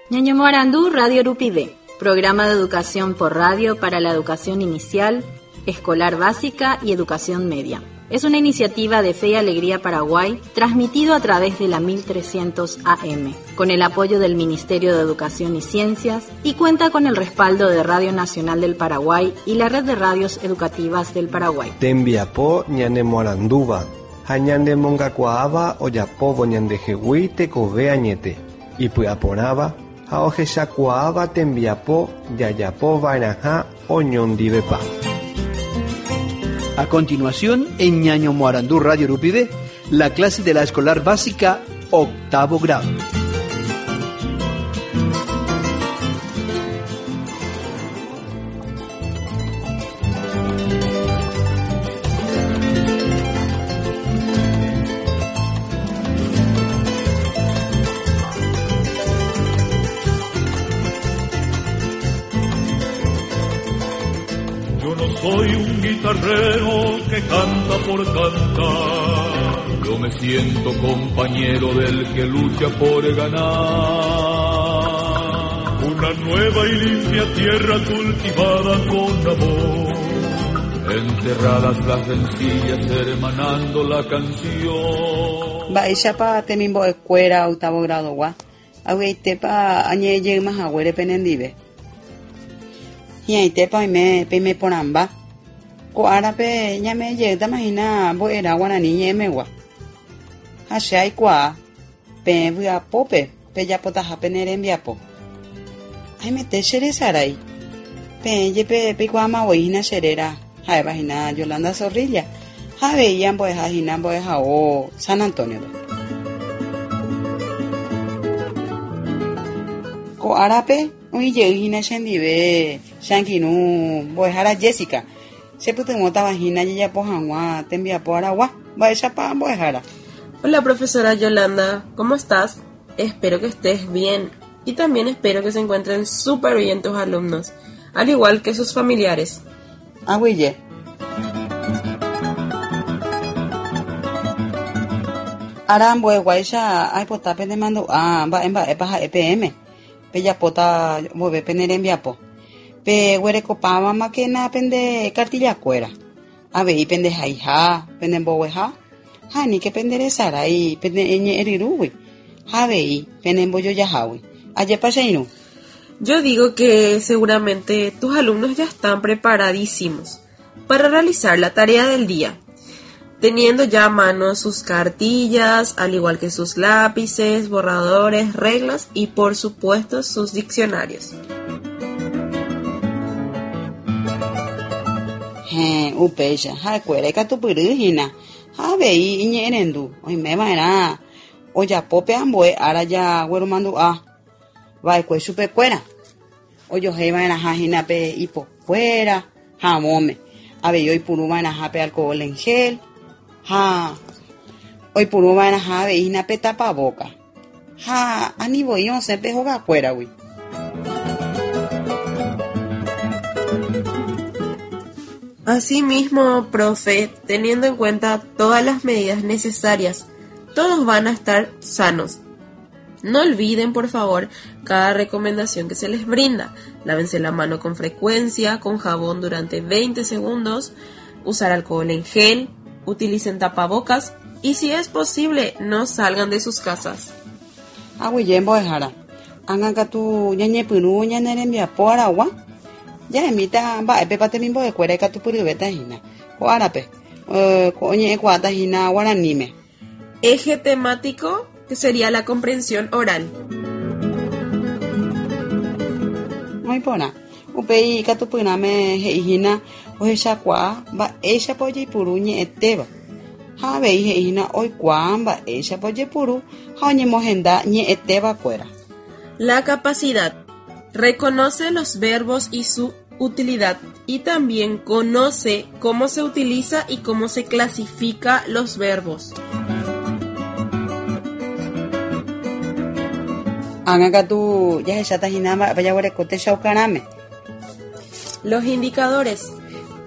Ñañomoarandu Radio Rupive, programa de educación por radio para la educación inicial, escolar básica y educación media. Es una iniciativa de Fe y Alegría Paraguay, transmitido a través de la 1300 AM, con el apoyo del Ministerio de Educación y Ciencias y cuenta con el respaldo de Radio Nacional del Paraguay y la Red de Radios Educativas del Paraguay. Tembiapo ñanemoarandúva ha ñanemongakuaáva ojapóvo ñandehegui tekove añete, ipy'aporãva ha ohechakuaáva tembiapo jajapova'erãha oñondivepa. A continuación, en Ñañomoarandú Radio Rupive, la clase de la escolar básica octavo grado. Yo no soy un guitarrero que canta por cantar. Yo me siento compañero del que lucha por ganar. Una nueva y limpia tierra cultivada con amor. Enterradas las rencillas, hermanando la canción. Mba'éichapa temimbo'ekuéra octavo grado-gua avy'aitépa añe'ẽjeýma haguére penendive. Hi'ãitépa oime peime porãmba. Ko árape ñame'ẽjeýtama hína mbo'erã guarani ñe'ẽmegua. Ha che aikuaa peẽ vy'apópe pejapotaha pene rembiapo. Aimete che resarái. Peẽ jepe peikuaáma voi hína che réra, ha'éva hína Yolanda Zorrilla, ha avei ambo'eha hína mbo'ehao San Antonio-pe. Ko árape oĩ jey hína chendive che angirũ mbo'ehára Jessica, chepytyvõtava hína jajapo hag̃ua tembiapo aragua. Mba'éichapa mbo'ehára? Hola profesora Yolanda, ¿cómo estás? Espero que estés bien y también espero que se encuentren súper bien tus alumnos, al igual que sus familiares. Aguyje. Ára ambueguáicha aipota penemandu'a mba'e mba'épa ha'e peẽme, pejapóta vove pene rembiapo. Peguerekopávamakena pende kartillakuéra, avei pende haiha, pende mbogueha, ha aníke pende resarái pene ñe'ẽryrúgui ha avei pene mbojojahágui. Ajépa che irũ? Yo digo que seguramente tus alumnos ya están preparadísimos para realizar la tarea del día, teniendo ya a mano sus cartillas, al igual que sus lápices, borradores, reglas y por supuesto sus diccionarios. Héẽ, upéicha, ha'ekuéra ikatupyry hína ha avei iñe'ẽrendu oimeva'erã ojapo pe ambue ára jagueromandu'a va'ekue chupekuéra, ojohéi va'erãha hína pe ipokuéra havõme, avei oipuru va'erãha pe alcohol en gel ha oipuru va'erãha avei hína pe tapavóka ha ani voi osẽ pe hogakuéragui. Asimismo, profe, teniendo en cuenta todas las medidas necesarias, todos van a estar sanos. No olviden, por favor, cada recomendación que se les brinda. Lávense la mano con frecuencia, con jabón durante 20 segundos, usar alcohol en gel, utilicen tapabocas y si es posible, no salgan de sus casas. Aguyje mbo'ehára, ág̃a katu ñañepyrũ ñane rembiapo aragua, jahemíta mba'épepa temimbo'ekuéra ikatupyryvéta hína. Ko árape, ko oñe'ẽkuaáta hína guaraníme. Eje temático que sería la comprensión oral. Oĩ porã, upéi ikatupyrãme he'i hína ohechakuaa mba'éichapa ojeipuru ñe'ẽtéva ha avei he'i hína oikuaa mba'éichapa ojepuru ha oñemohenda ñe'ẽtévakuéra. La capacidad. Reconoce los verbos y su utilidad y también conoce cómo se utiliza y cómo se clasifica los verbos. Ág̃a katu jahecháta hína mba'épa jaguereko techaukarãme. Los indicadores.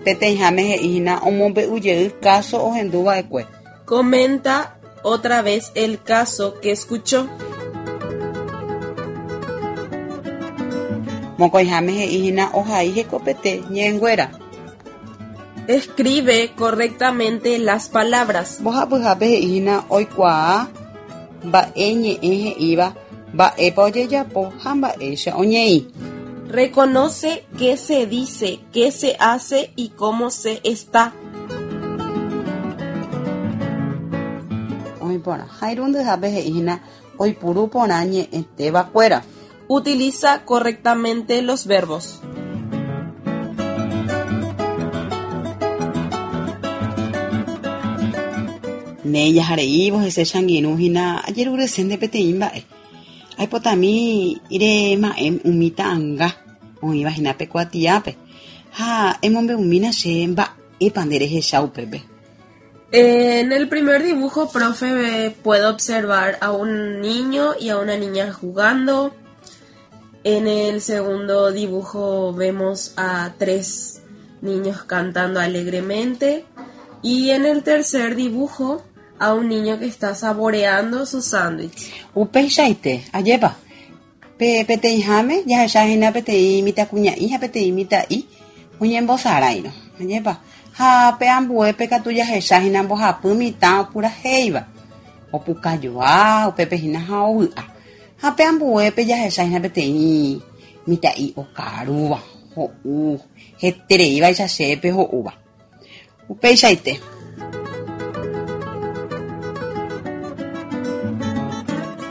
Peteĩháme he'i hína omombe'ujey káso ohenduva'ekue. Comenta otra vez el caso que escuchó. Mokõiháme he'i hína ohai hekopete ñe'ẽnguéra. Escribe correctamente las palabras. Mbohapyhápe he'i hína oikuaa mba'e ñe'ẽ he'íva mba'épa ojejapo ha mba'éicha oñeĩ. Reconoce qué se dice, qué se hace y cómo se está. Oĩ porã. Ha irundyhápe he'i hína oipuru porã ñe'ẽtévakuéra. Utiliza correctamente los verbos. Néi jahareívo hese che angirũ hína ajerurese nde peteĩ mba'e. Aipotami rema'ẽ umi ta'anga oĩva hína pe kuatiápe ha emombe'umína che mba'épa nde rehecha upépe. En el primer dibujo, profe, puedo observar a un niño y a una niña jugando. En el segundo dibujo vemos a tres niños cantando alegremente. Y en el tercer dibujo a un niño que está saboreando su sándwich. Upeichaite, ajépa? Pe peteĩháme jahecha hína peteĩ mitãkuña'i ha peteĩ mitã'i oñembosaráirõ, ajépa? Ha pe ambuépe katu jahecha hína mbohapy mitã opurahéiva, opukajoa upépe hína ha ovy'a. Ha pe ambuépe jahecha hína peteĩ mitã'i okarúva, ho'u hetereívaicha chéve ho'úva. Upeichaite.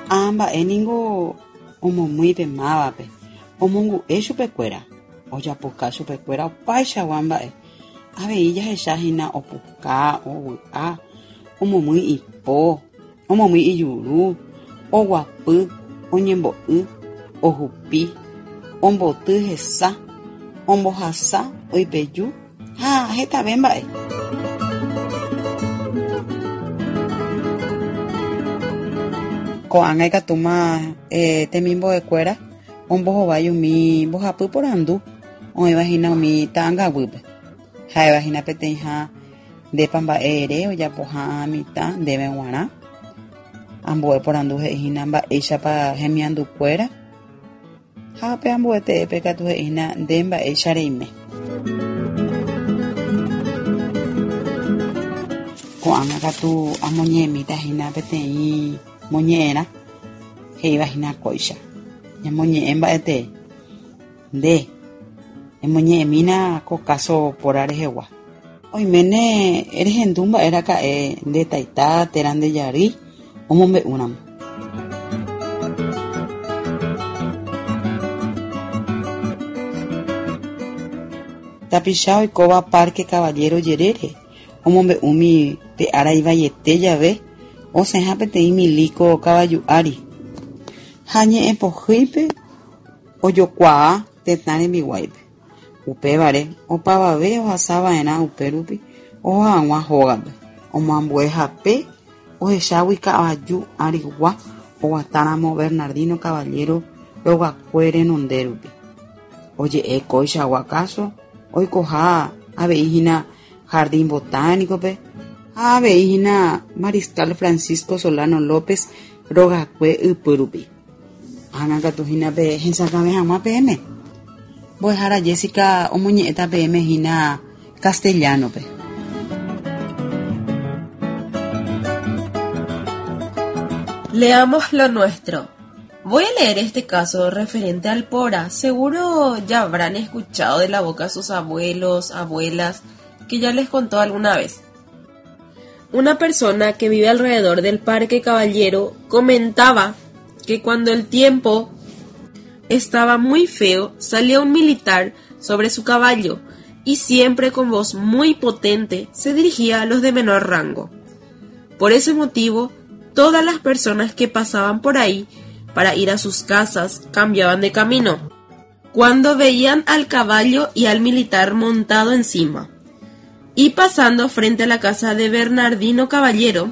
Ã mba'e ningo omomýi pe mávape, omongu'e chupekuéra, ojapoka chupekuéra opaichagua mba'e. Avei jahecha hína opuka, ovy'a, omomýi ipo, omomýi ijuru, oguapy, oñembo'y, ohupi, omboty hesa, ombohasa, oipeju Ha hetave mba'e. Ko'ág̃a ikatúma temimbo'ekuéra ombohovái umi mbohapy porandu oĩva hína umi ta'angaguýpe. Ha'éva hína peteĩha ndépa mba'e ere ojapoha mitã ndéve g̃uarã. Ambue porandu he'i hína mba'éichapa hemiandukuéra. Ha pe ambue teépe katu he'ína nde mba'éicha reime. Ko'ág̃a katu amoñe'ẽmíta hína peteĩ moñe'ẽrã he'íva hína kóicha. Ñamoñe'ẽ mba'e tee. Nde, emoñe'ẽmína ko káso póra rehegua. Oiméne rehendu mba'e raka'e nde taita térã nde jarýi omombe'úramo. Tapicha oikóva Parque Caballero jerére omombe'úmi pe ára ivaiete jave osẽha peteĩ milíko kavaju ári ha ñe'ẽ pohýipe ojokuaa tetã rembiguáipe. Upévare, opavave ohasa va'erã upérupi oho hag̃ua hógape, omoambue hape ohechágui kavaju arigua oguatáramo Bernardino Caballero rogakue renonde rupi. Oje'e kóichagua káso oikoha avei hína Jardín Botánico-pe ha avei hína Mariscal Francisco Solano López rogakue ypy rupi. Ág̃a katu hína pe hesakãve hag̃ua peẽme. Mbo'ehára Jessica omoñe'ẽta peẽme hína castellano-pe. Leamos lo nuestro. Voy a leer este caso referente al Pora. Seguro ya habrán escuchado de la boca sus abuelos, abuelas, que ya les contó alguna vez. Una persona que vive alrededor del Parque Caballero comentaba que cuando el tiempo estaba muy feo, salía un militar sobre su caballo y siempre con voz muy potente se dirigía a los de menor rango. Por ese motivo, todas las personas que pasaban por ahí para ir a sus casas cambiaban de camino cuando veían al caballo y al militar montado encima. Y pasando frente a la casa de Bernardino Caballero,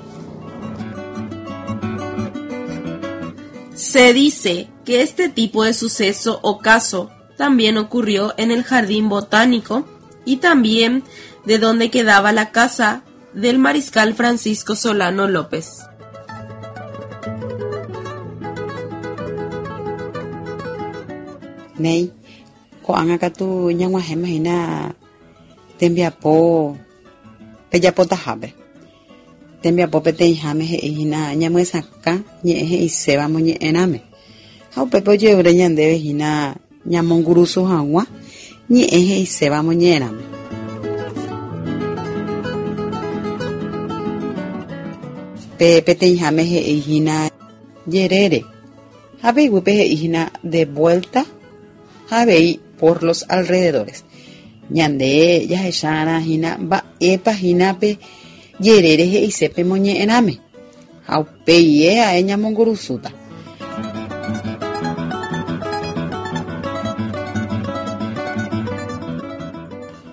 se dice que este tipo de suceso o caso también ocurrió en el jardín botánico y también de donde quedaba la casa del mariscal Francisco Solano López. Néi, Ko'ág̃a katu ñag̃uahẽma hína tembiapo pejapotahápe. Tembiapo peteĩháme he'i hína ñamyesakã ñe'ẽ he'iséva moñe'ẽrãme. Ha upépe oje'úre ñandéve hína ñamongurusu hag̃ua ñe'ẽ he'iséva moñe'ẽrãme. Pe peteĩháme he'i hína jerére ha pe iguýpe he'i hína de vuelta ha avei por los alrededores. Ñande jahecharã hína mba'épa hína pe jerére he'ise pe moñe'ẽrãme ha upéi ae ñamongurusúta.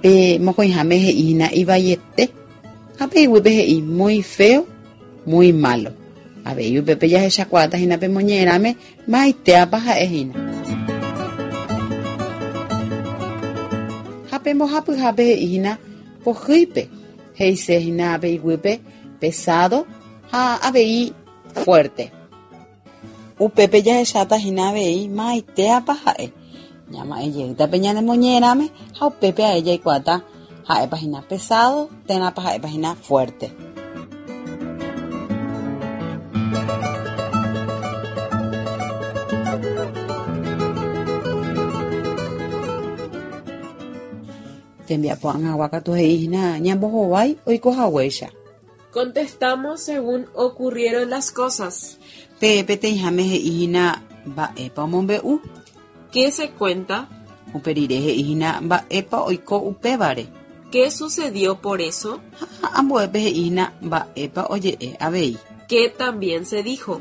Pe mokõiháme he'i hína ivaiete ha pe iguýpe he'i muy feo, muy malo. Avei upépe jahechakuaáta hína pe moñe'ẽrãme maitéapa ha'e hína. Ha pe mbohapyhápe he'i hína pohýipe, he'ise hína pe iguýpe pesado ha avei fuerte. Upépe jahecháta hína avei maitéapa ha'e. Ñama'ẽ jeýta pe ñane moñe'ẽrãme ha upépe ae jaikuaáta ha'épa hína pesado térãpa ha'épa hína fuerte. Tembiapo ag̃agua katu he'i hína ñambohovái oiko haguéicha. Contestamos según ocurrieron las cosas. Pe peteĩháme he'i hína mba'épa omombe'u. ¿Qué se cuenta? Upe rire he'i hína mba'épa oiko upévare. ¿Qué sucedió por eso? Ha ambuépe he'i hína mba'épa oje'e avei. ¿Qué también se dijo?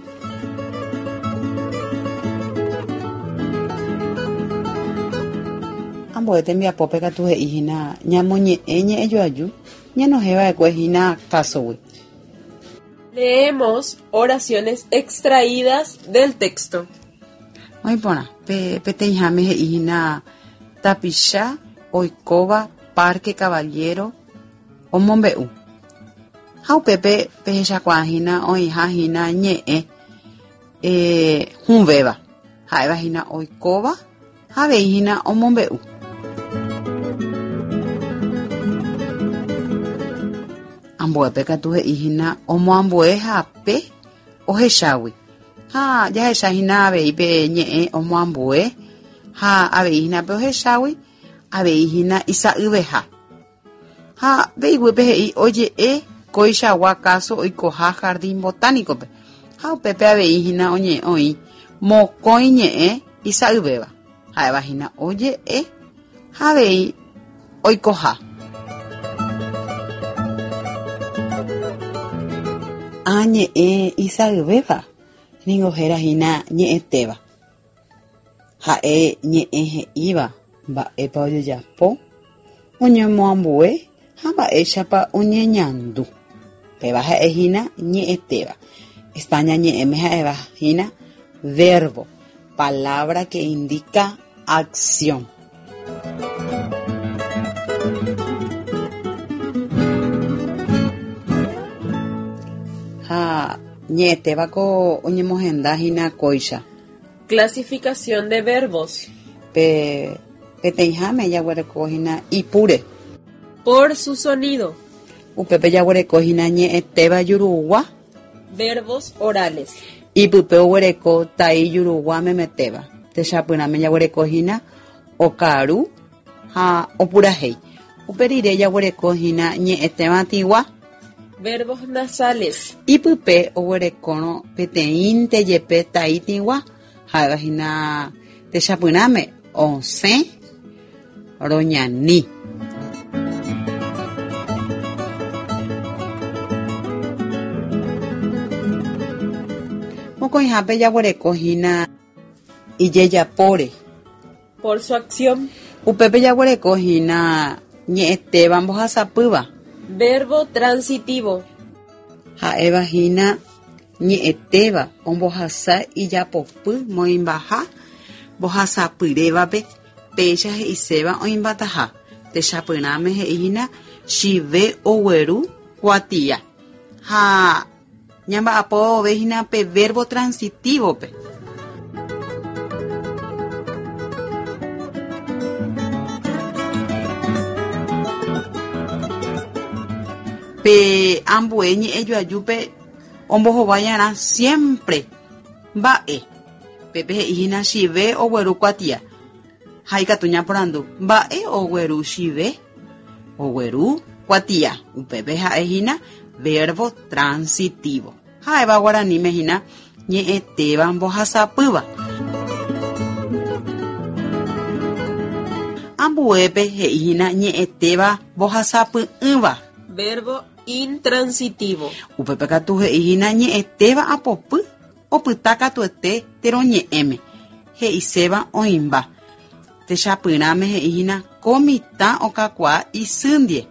Ambue tembiapópe katu he'i hína ñamoñe'ẽ ñe'ẽjoaju ñanohẽva'ekue hína kásogui. Leemos oraciones extraídas del texto. Oĩ porã, pe peteĩháme he'i hína tapicha oikóva Parque Caballero omombe'u. Ha upépe pehechakuaa hína oĩha hína ñe'ẽ hũvéva, ha'éva hína oikóva ha avei hína omombe'u. Ambuépe katu he'i hína omoambue hape ohechágui. Ha jahecha hína avei pe ñe'ẽ omoambue ha avei hína pe ohechágui avei hína isa'yveha. Ha pe iguýpe he'i oje'e kóichagua káso oikoha Jardín Botánico-pe ha upépe avei hína oñe'ẽ oĩ mokõi ñe'ẽ isa'yvéva, ha'éva hína oje'e ha avei oikoha. Ã ñe'ẽ isa'yvéva ningo héra hína ñe'ẽtéva. Ha'e ñe'ẽ he'íva mba'épa ojejapo, oñemoambue ha mba'éichapa oñeñandu. Péva ha'e hína ñe'ẽtéva. España ñe'ẽme ha'éva hína verbo, palabra que indica acción. Ha ñe'ẽtéva ko oñemohenda hína kóicha. Clasificación de verbos. Pe peteĩháme jaguereko hína ipúre. Por su sonido. Upépe jaguereko hína ñe'ẽtéva jurugua. Verbos orales. Ipype oguereko tai jurugua memetéva. Techapyrãme jaguereko hína okaru ha opurahéi. Upe rire jaguereko hína ñe'ẽtéva tĩgua. Verbos nasales. Ipype oguerekórõ peteĩnte jepe tai tĩgua, ha'éva hína techapyrãme osẽ roñani. Mokõihápe jaguereko hína ijejapóre. Por su acción. Upépe jaguereko hína ñe'ẽtéva mbohasapýva. Verbo transitivo. Ha'éva hína ñe'ẽtéva ombohasa ijapopy moĩmbaha mbohasapyrévape péicha he'iséva oĩmbataha. Techapyrãme he'i hína chive ogueru kuatia. Ha ñamba'apo vove hína pe verbo transitivo-pe. Pe ambue ñe'ẽjoajúpe ombohovai'arã siempre mba'e. Pépe he'i hína Chive ogueru kuatia. Ha ikatu ñaporandu, Mba'e ogueru Chive? Ogueru kuatia. Upépe ha'e hína verbo transitivo. Ha'éva guaraníme hína ñe'ẽtéva mbohasapýva. Ambuépe he'i hína ñe'ẽtéva mbohasapy'ỹva. Verbo intransitivo. Upépe katu he'i hína ñe'ẽtéva apopy opyta katuete térõ ñe'ẽme, he'iséva oĩmba. Techapyrãme he'i hína ko mitã okakuaa isy ndie.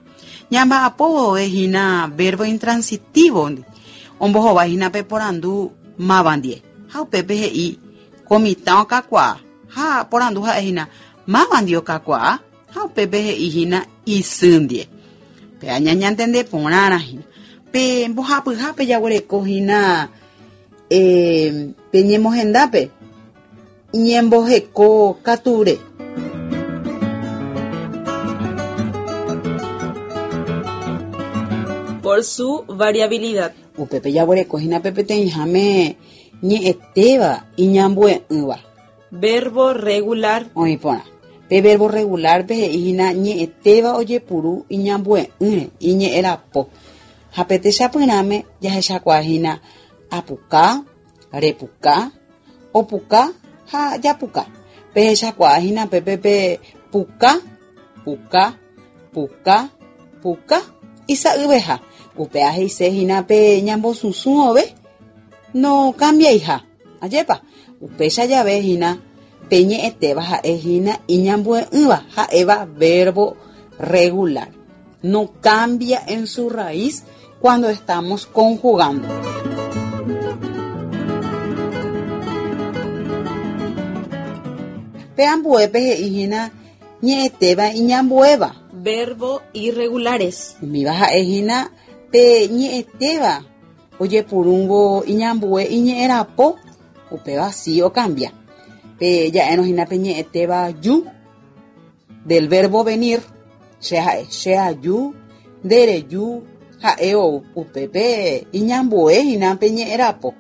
Ñamba'apo vove hína verbo intransitivo ndi, ombohovái hína pe porandu máva ndie. Ha upépe he'i ko mitã okakuaa. Ha porandu ha'e hína máva ndie okakuaa? Ha upépe he'i hína isy ndie. Péva ñañantende porãrã hína. Pe mbohapyhápe jaguereko hína pe ñemohendápe. Ñemboheko katúre. Por su variabilidad. Upépe jaguereko hína pe peteĩháme ñe'ẽtéva iñambue'ỹva. Verbo regular. Oĩ porã. Pe verbo regular-pe he'i hína ñe'ẽtéva ojepuru iñambue'ỹre, iñe'ẽrapo. Ha pe techapyrãme jahechakuaa hína apuka, repuka, opuka ha japuka. Pehechakuaa hína pépe pe puka, puka, puka, puka, isa'yveha. Upéva he'ise hína pe ñambosusũ vove nokambiaiha. Ajépa? Upéicha jave hína pe ñe'ẽtéva ha'e hína iñambue'ỹva, ha'éva verbo regular. No cambia en su raíz cuando estamos conjugando. Pe ambuépe he'i hína ñe'ẽtéva iñambuéva. Verbo irregulares. Umíva ha'e hína pe ñe'ẽtéva ojepurúngo iñambue iñe'ẽrapo, upéva si okambia. Pe ja'érõ hína pe ñe'ẽtéva ju. Del verbo venir, che ha'e, che aju, nde reju, ha'e ou. Upépe iñambue hína pe ñe'ẽrapo.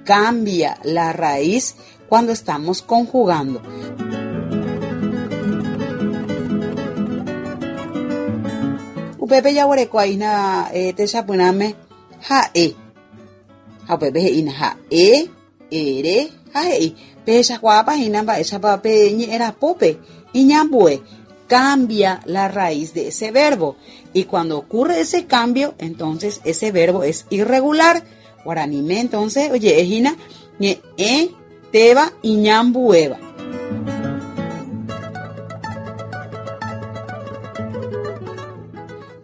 Cambia la raíz cuando estamos conjugando. Upépe jaguereko aína techapyrãme ha'e. Ha upépe he'ína ha'e. Ere ha he'i, Pehechakuaápa hína mba'éichapa pe ñe'ẽrapópe iñambue, cambia la raíz de ese verbo. Y cuando ocurre ese cambio, entonces ese verbo es irregular. Guaraníme entonces oje'e hína ñe'ẽ téva iñambuéva.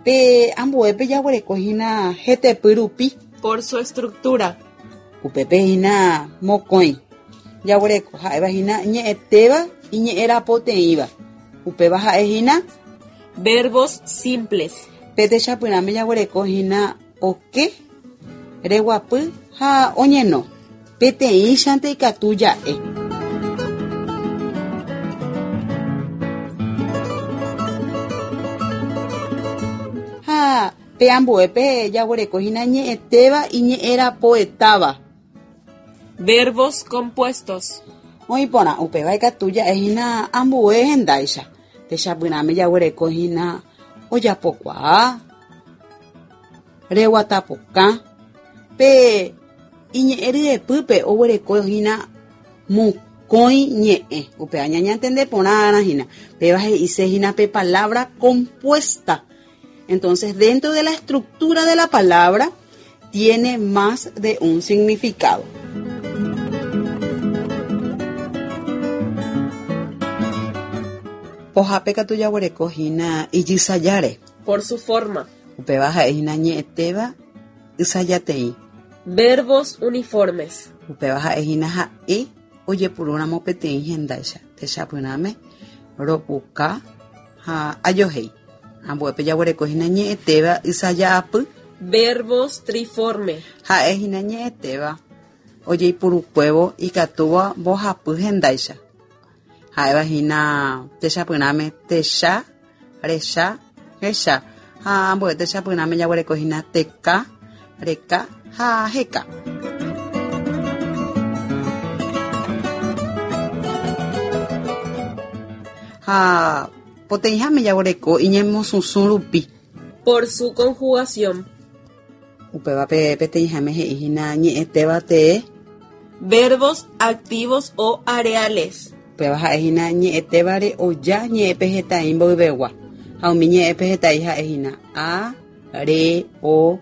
Pe ambuépe jaguereko hína hetepy rupi. Por su estructura. Upépe hína mokõi jaguereko, ha'éva hína ñe'ẽtéva iñe'ẽrapoteĩva. Upéva ha'e hína. Verbos simples. Pe techapyrãme jaguereko hína oke, reguapy ha oñeno. Peteĩchante ikatu ja'e. Ha Pe ambuépe jaguereko hína ñe'ẽtéva iñe'ẽrapoetáva. Verbos compuestos. Oĩ porã, upéva ikatu ja'e hína ambue hendáicha. Techapyrãme jaguereko hína ojapokuaa, reguatapokã. Pe iñe'ẽ ryepýpe oguereko hína mokõi ñe'ẽ. Upéva ñañantende porãrã hína. Péva he'ise hína pe palabra compuesta. Entonces, dentro de la estructura de la palabra, tiene más de un significado. Pohápe katu jaguereko hína ijysajáre. Por su forma. Upéva ha'e hína ñe'ẽtéva ysajateĩ. Verbos uniformes. Upéva ha'e hína ha'e ojepurúramo peteĩ hendáicha, techapyrãme, ropuka ha ajohéi. Ambuépe jaguereko hína ñe'ẽtéva ysaja'apy. Verbos triforme. Ha'e hína ñe'ẽtéva ojeipurukuévo ikatúva mbohapy hendáicha. Ha'éva hína techapyrãme techa, recha, hecha. Ha ambue techapyrãme jaguereko hína teka, reka ha heka. Ha poteĩháme jaguereko iñemosusũ rupi. Por su conjugación. Upéva pe peteĩháme he'i hína ñe'ẽtéva tee. Verbos activos o areales. Upéva ha'e hína ñe'ẽtévare oja ñe'ẽpeheta'i mboyvegua. Ha umi ñe'ẽpeheta'i ha'e hína a, re, o,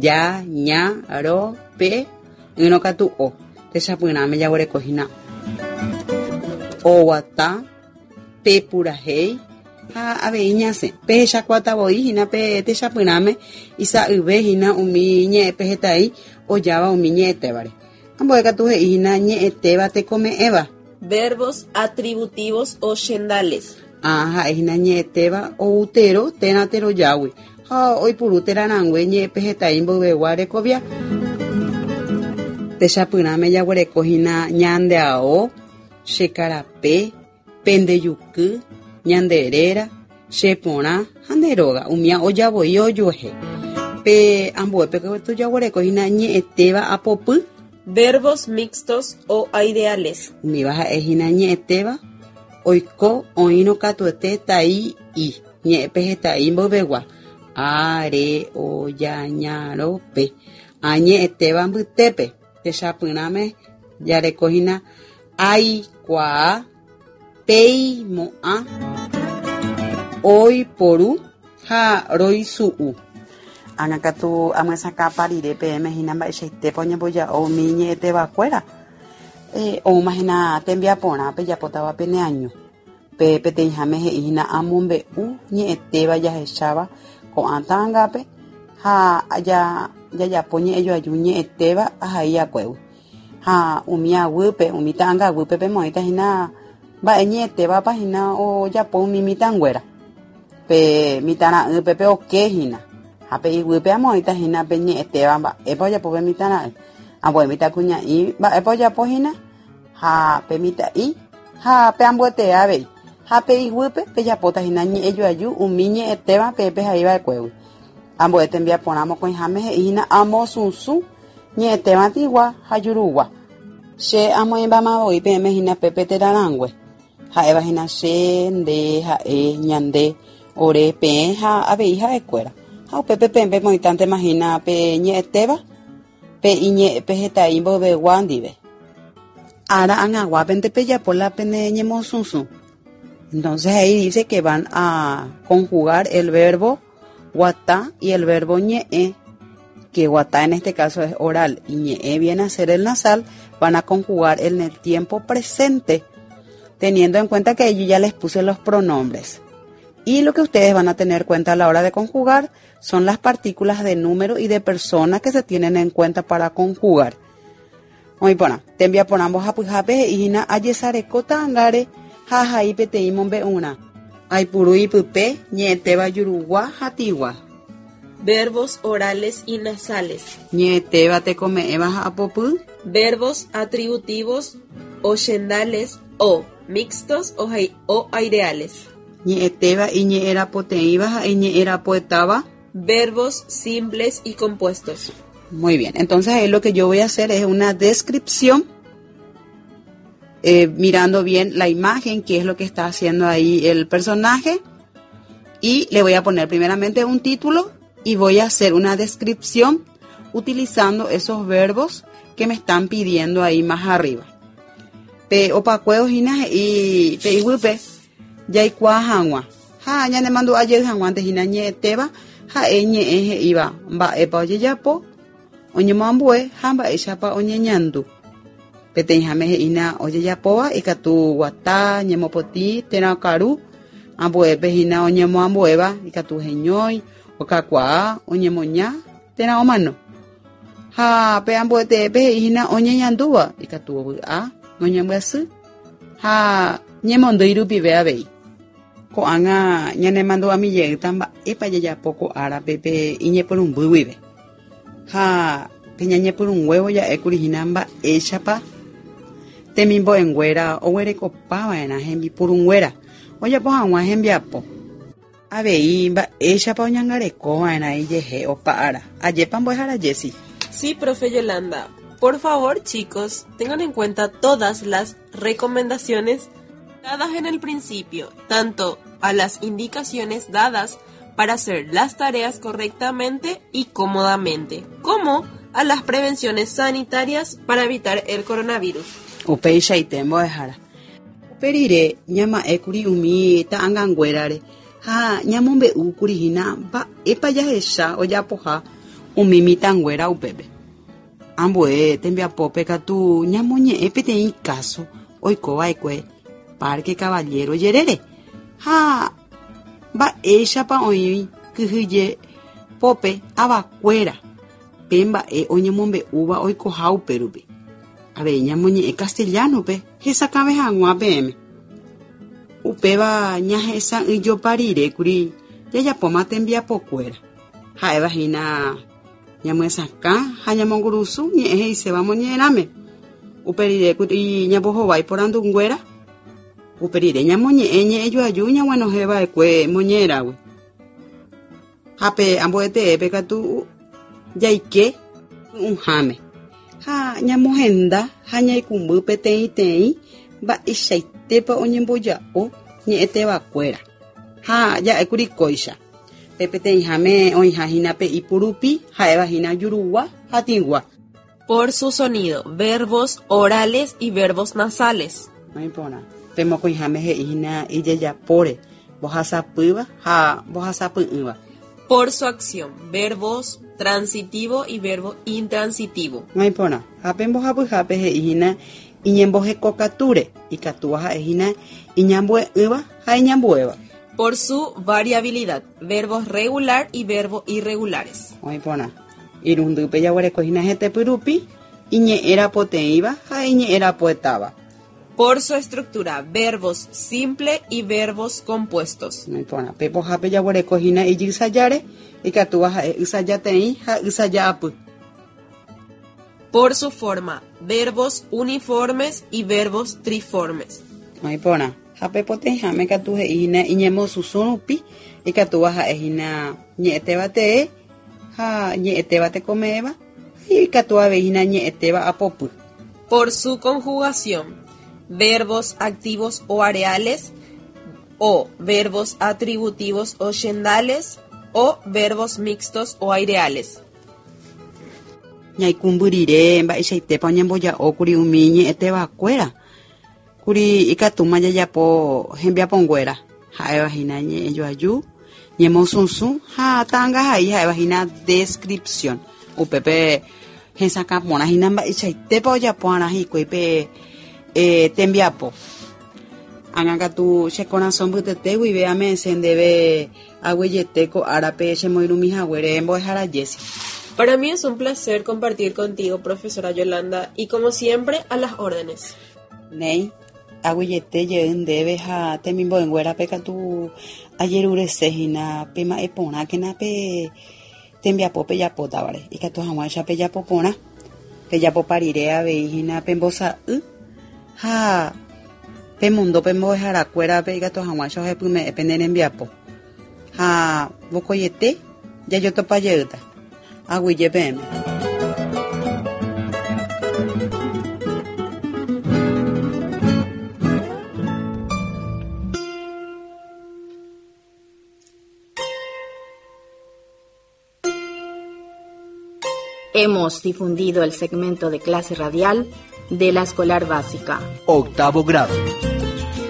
ja, ña, ro, pe, ỹrõ katu o. Techapyrãme jaguereko hína oguata, pe purahéi ha avei ñasẽ. Pehechakuaáta voi hína pe techapyrãme isa'yve hína umi ñe'ẽpeheta'i ojáva umi ñe'ẽtévare. Ambue katu he'i hína ñe'ẽtéva tekome'ẽva. Verbos atributivos o chendales. Ã ha'e hína ñe'ẽtéva ou tero térã terojágui ha oipuru terarãngue ñe'ẽpeheta'i mboyvegua rekovia. Techapyrãme jaguereko hína ñande ao, che karape, pende juky, ñande réra, che porã ha nde róga, umía oja voi ojuehe. Pe ambuépe katu jaguereko hína ñe'ẽtéva apopy. Verbos mixtos o aireales. Umíva ha'e hína ñe'ẽtéva oiko oĩrõ katuete tai i, ñe'ẽpeheta'i mboyvegua, a, re, o, ja, ña, ro, pe, ã ñe'ẽtéva mbytépe, techapyrãme jareko hína aikuaa, peimo'ã, oiporu ha roisu'u. Ág̃a katu amyesakãpa rire peẽme hína mba'eichaitépa oñemboja'o umi ñe'ẽtevakuéra. Oúma hína tembiaporã pejapótava pene año. Pe peteĩháme he'i hína amombe'u ñe'ẽtéva jahecháva ko'ã ta'angápe ha jajapo ñe'ẽjoaju ñe'ẽtéva ahai akuégui. Ha umi aguýpe, umi ta'anga aguýpe pemoĩta hína mba'e ñe'ẽtévapa hína ojapo umi mitãnguéra. Pe mitãra'ýpe pe oke hína. Ha pe iguýpe amoĩta hína pe ñe'ẽtéva mba'épa ojapo pe mitãra'y. Ambue mitãkuña'i mba'épa ojapo hína ha pe mitã'i ha pe ambuetee avei. Ha pe iguýpe pejapóta hína ñe'ẽjoaju umi ñe'ẽtéva peẽ pehai va'ekuégui. Ambue tembiaporã mokõiháme he'i hína amosusũ ñe'ẽtéva tĩgua ha jurugua. Che amoĩmbáma voi peẽme hína pépe terarãngue, ha'éva hína che, nde, ha'e, ñande, ore, peẽ ha avei ha'ekuéra. Ha upépe peẽ pemoĩtántema hína pe ñe'ẽtéva pe iñe'ẽpeheta'i mboyvegua ndive. Ára ag̃aguápente pejapo la pene ñemosusũ. Entonces ahí dice que van a conjugar el verbo guata y el verbo ñe'ẽ, que guata en este caso es oral y ñe'ẽ viene a ser el nasal, van a conjugar en el tiempo presente, teniendo en cuenta que yo ya les puse los pronombres. Y lo que ustedes van a tener cuenta a la hora de conjugar son las partículas de número y de persona que se tienen en cuenta para conjugar. Oĩ porã, tembiaporã mbohapyhápe he'i hína ajesareko ta'angáre ha ahai peteĩ mombe'urã. Aipuru ipype ñe'ẽtéva jurugua ha tĩgua. Verbos orales y nasales. Ñe'ẽtéva tekome'ẽva ha apopy. Verbos atributivos o chendales o mixtos o aireales. Ñe'ẽtéva iñe'ẽrapoteĩva ha iñe'ẽrapoetáva. Verbos simples y compuestos. Muy bien, entonces ahí lo que yo voy a hacer es una descripción, mirando bien la imagen, qué es lo que está haciendo ahí el personaje, y le voy a poner primeramente un título y voy a hacer una descripción utilizando esos verbos que me están pidiendo ahí más arriba. Pe opakuévo hína he'i pe iguýpe jaikuaa hag̃ua ha ñanemandu'a jey hag̃uánte hína ñe'ẽtéva ha'e ñe'ẽ he'íva mba'épa ojejapo, oñemoambue ha mba'éichapa oñeñandu. Peteĩháme he'ína ojejapóva ikatu guata, ñemopotĩ térã okaru, ambuépe hína oñemoambuéva ikatu heñói, okakuaa, oñemoña térã omano. Ha pe ambueteépe he'i hína oñeñandúva ikatu ovy'a, oñembyasy ha ñemondýi rupive avei. Ko'ág̃a ñanemandu'ami jeýta mba'épa jajapo ko árape pe iñepyrũmby guive. Ha pe ñañepyrũnguévo ja'ékuri hína mba'éichapa temimbo'enguéra oguerekopava'erã hembipurunguéra ojapo hag̃ua hembiapo. Avei mba'éichapa oñangarekova'erã ijehe opa ára. Ajépa mbo'ehára Jessy. Sí, profe Yolanda. Por favor, chicos, tengan en cuenta todas las recomendaciones dadas en el principio, tanto a las indicaciones dadas para hacer las tareas correctamente y cómodamente, como a las prevenciones sanitarias para evitar el coronavirus. Upeichaite mbo'ehára. Upe rire ñama'ẽkuri umi ta'anganguérare ha ñamombe'úkuri hína mba'épa jahecha ojapoha umi mitãnguéra upépe. Ambue tembiapópe katu ñamoñe'ẽ peteĩ káso oikova'ekue Parque Caballero jerére ha mba'éichapa oĩ kyhyje pópe avakuéra pe mba'e oñemombe'úva oikoha upérupi. Avei ñamoñe'ẽ castellano-pe hesakãve hag̃ua peẽme. Upéva ñahesa'ỹijopa rire kuri jajapóma tembiapokuéra. Ha'éva hína ñamyesakã ha ñamongurusu ñe'ẽ he'iséva moñe'ẽrãme. Upe rire kuri ñambohovái porandunguéra. Upe rire ñamoñe'ẽ ñe'ẽjoaju ñaguenohẽva'ekue moñe'ẽrãgui. Ha pe ambueteépe katu jaike py'ũháme ha ñamohenda ha ñaikũmby peteĩteĩ mba'eichaitépa oñemboja'o ñe'ẽtevakuéra. Ha ja'ékuri kóicha, pe peteĩháme oĩha hína pe ipurupi ha'éva hína jurugua ha tĩgua. Por su sonido, verbos orales y verbos nasales. Oĩ porã. Pe mokõiháme he'i hína ijejapóre, mbohasapýva ha mbohasapy'ỹva. Por su acción, verbos transitivo y verbo intransitivo. Oĩ porã. Ha pe mbohapyhápe he'i hína iñembohekokatúre, ikatúva ha'e hína iñambue'ỹva ha iñambuéva. Por su variabilidad, verbos regular y verbo irregulares. Oĩ porã. Irundýpe jaguereko hína hetepy rupi, iñe'ẽrapoteĩva ha iñe'ẽrapoetáva. Por su estructura, verbos simple y verbos compuestos. Oĩ porã. Pe pohápe jaguereko hína ijysajáre, ikatúva ha'e ysajateĩ ha ysaja'apy. Por su forma, verbos uniformes y verbos triformes. Oĩ porã. Ha pe poteĩháme katu he'i hína iñemosusũ rupi, ikatúva ha'e hína ñe'ẽtéva tee ha ñe'ẽtéva tekome'ẽva, ha ikatu avei hína ñe'ẽtéva apopy. Por su conjugación, verbos activos o areales, o verbos atributivos o chendales, o verbos mixtos o aireales. Ñaikũmby rire mba'eichaitépa oñemboja'ókuri umi ñe'ẽtevakuéra, kuri ikatúma jajapo hembiaponguéra, ha'éva hína ñe'ẽjoaju, ñemosusũ ha ta'angahai ha'éva hína descripción. Upépe hesakã porã hína mba'eichaitépa ojapo'arã hikuái pe tembiapo. Ág̃a katu che korasõ mbytete guive ame'ẽse ndéve aguyjete ko árape chemoirũmi haguére mbo'ehára Jessy. Para mí es un placer compartir contigo, profesora Yolanda, y como siempre, a las órdenes. Néi, aguyjete jey ndéve ha temimbo'enguérape katu ajerurese hína pema'ẽ porãkena pe tembiapo pejapótavare, ikatu hag̃uáicha pejapo porã, pejapopa rire avei hína pembosa'y ha pemondo pembo'eharakuérape ikatu hag̃uáicha ohepyme'ẽ pene rembiapo. Ha vokoiete jajotopa jeýta. Aguyje peẽme. Hemos difundido el segmento de clase radial de la escolar básica. Octavo grado.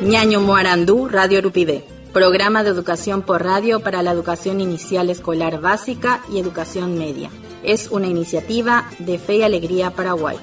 Ñaño Moarandú, Radio Rupivé. Programa de educación por radio para la educación inicial escolar básica y educación media. Es una iniciativa de Fe y Alegría Paraguay.